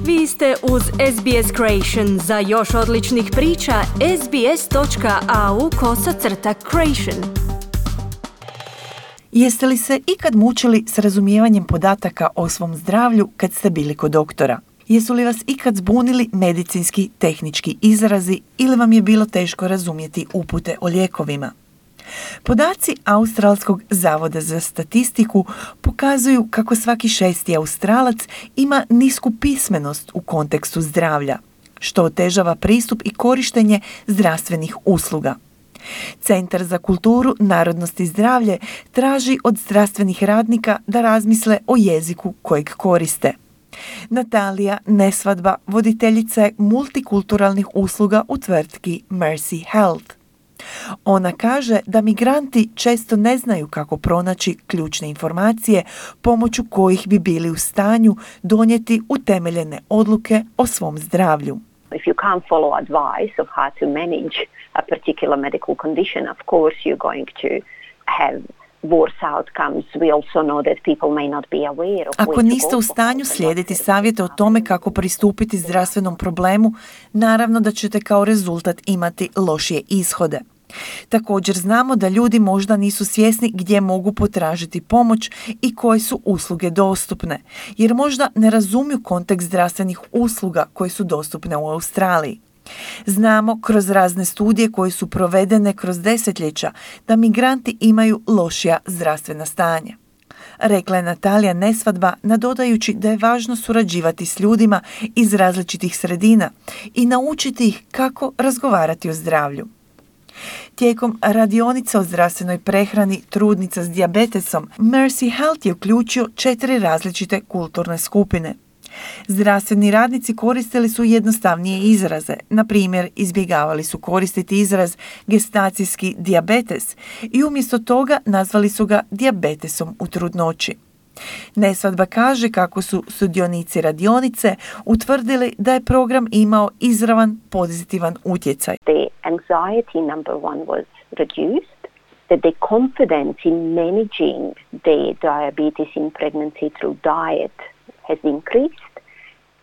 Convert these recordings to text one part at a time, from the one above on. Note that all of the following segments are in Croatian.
Vi ste uz SBS Creation. Za još odličnih priča, sbs.au/creation. Jeste li se ikad mučili s razumijevanjem podataka o svom zdravlju kad ste bili kod doktora? Jesu li vas ikad zbunili medicinski tehnički izrazi ili vam je bilo teško razumjeti upute o lijekovima? Podaci Australskog zavoda za statistiku pokazuju kako svaki 6. Australac ima nisku pismenost u kontekstu zdravlja, što otežava pristup i korištenje zdravstvenih usluga. Centar za kulturu, narodnost i zdravlje traži od zdravstvenih radnika da razmisle o jeziku kojeg koriste. Natalija Nesvadba voditeljica je multikulturalnih usluga u tvrtki Mercy Health. Ona kaže da migranti često ne znaju kako pronaći ključne informacije pomoću kojih bi bili u stanju donijeti utemeljene odluke o svom zdravlju. If you can't follow advice of how to manage a particular medical condition, of course you're going to have worse outcomes. We also know that people may not be aware of Ako niste u stanju slijediti savjete o tome kako pristupiti zdravstvenom problemu, naravno da ćete kao rezultat imati lošije ishode. Također znamo da ljudi možda nisu svjesni gdje mogu potražiti pomoć i koje su usluge dostupne, jer možda ne razumiju kontekst zdravstvenih usluga koje su dostupne u Australiji. Znamo kroz razne studije koje su provedene kroz desetljeća da migranti imaju lošija zdravstvena stanja. Rekla je Natalija Nesvadba, nadodajući da je važno surađivati s ljudima iz različitih sredina i naučiti ih kako razgovarati o zdravlju. Tijekom radionica o zdravstvenoj prehrani trudnica s dijabetesom, Mercy Health je uključio 4 različite kulturne skupine. Zdravstveni radnici koristili su jednostavnije izraze, na primjer izbjegavali su koristiti izraz gestacijski dijabetes i umjesto toga nazvali su ga dijabetesom u trudnoći. Nesvadba kaže kako su sudionici radionice utvrdili da je program imao izravan pozitivan utjecaj. The anxiety number one was reduced, that the confidence in managing the diabetes in pregnancy through diet has increased.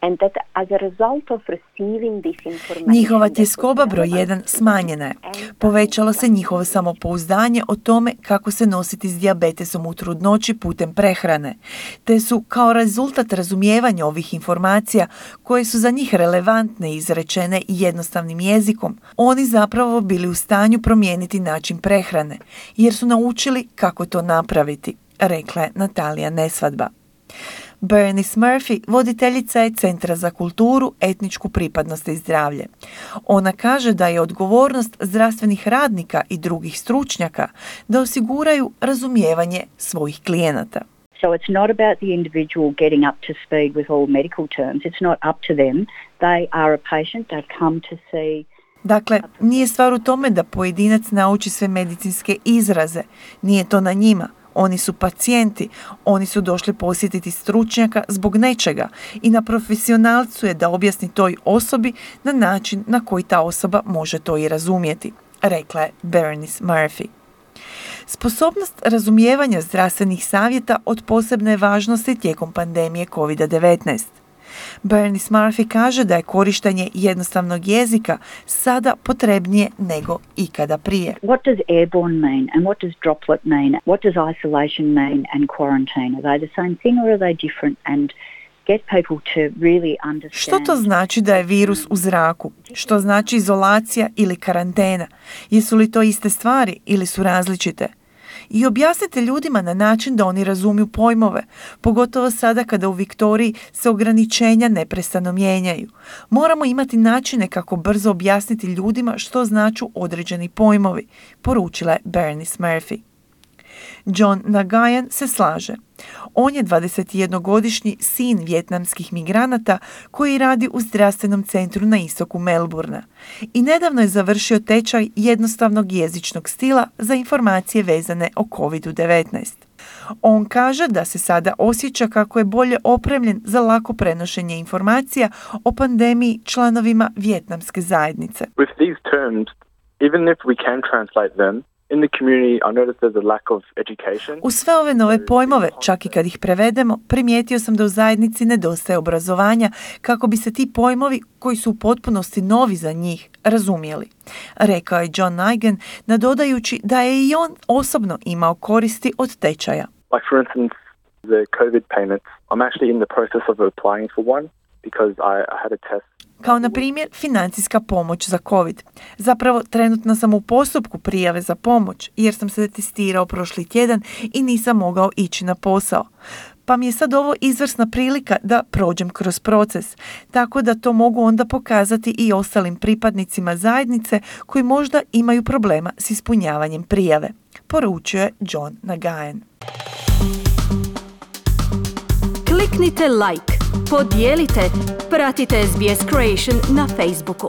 And that as a result of receiving this information, njihova tjeskoba broj 1 smanjena je. Povećalo se njihovo samopouzdanje o tome kako se nositi s dijabetesom u trudnoći putem prehrane, te su kao rezultat razumijevanja ovih informacija koje su za njih relevantne i izrečene jednostavnim jezikom, oni zapravo bili u stanju promijeniti način prehrane, jer su naučili kako to napraviti, rekla je Natalija Nesvadba. Bernice Murphy, voditeljica je Centra za kulturu, etničku pripadnost i zdravlje. Ona kaže da je odgovornost zdravstvenih radnika i drugih stručnjaka da osiguraju razumijevanje svojih klijenata. So it's not about the individual getting up to speed with all medical terms. It's not up to them. They are a patient. They've come to see. Dakle, nije stvar u tome da pojedinac nauči sve medicinske izraze. Nije to na njima. Oni su pacijenti, oni su došli posjetiti stručnjaka zbog nečega i na profesionalcu je da objasni toj osobi na način na koji ta osoba može to i razumjeti, rekla je Bernice Murphy. Sposobnost razumijevanja zdravstvenih savjeta od posebne važnosti tijekom pandemije COVID-19. Bernice Murphy kaže da je korištenje jednostavnog jezika sada potrebnije nego ikada prije. What does airborne mean and what does droplet mean? What does isolation mean and quarantine? Are they the same thing or are they different? And get people to really understand. Što to znači da je virus u zraku? Što znači izolacija ili karantena? Jesu li to iste stvari ili su različite? I objasnite ljudima na način da oni razumiju pojmove, pogotovo sada kada u Viktoriji se ograničenja neprestano mijenjaju. Moramo imati načine kako brzo objasniti ljudima što značu određeni pojmovi, poručila je Bernice Murphy. John Nagayan se slaže. On je 21-godišnji sin vijetnamskih migranata koji radi u zdravstvenom centru na istoku Melbourna i nedavno je završio tečaj jednostavnog jezičnog stila za informacije vezane o COVID-19. On kaže da se sada osjeća kako je bolje opremljen za lako prenošenje informacija o pandemiji članovima vijetnamske zajednice. With these terms, even if we can translate them, In the community, I noticed there's a lack of education. U sve ove nove pojmove, čak i kad ih prevedemo, primijetio sam da u zajednici nedostaje obrazovanja kako bi se ti pojmovi, koji su u potpunosti novi za njih, razumjeli. Rekao je John Nigan, nadodajući da je i on osobno imao koristi od tečaja. Like for instance, the COVID payments. I'm actually in the process of applying for one because I had a test. Kao na primjer financijska pomoć za COVID. Zapravo trenutno sam u postupku prijave za pomoć jer sam se testirao prošli tjedan i nisam mogao ići na posao. Pa mi je sad ovo izvrsna prilika da prođem kroz proces, tako da to mogu onda pokazati i ostalim pripadnicima zajednice koji možda imaju problema s ispunjavanjem prijave, poručio je John Nagayan. Kliknite like, podijelite, pratite SBS Creation na Facebooku.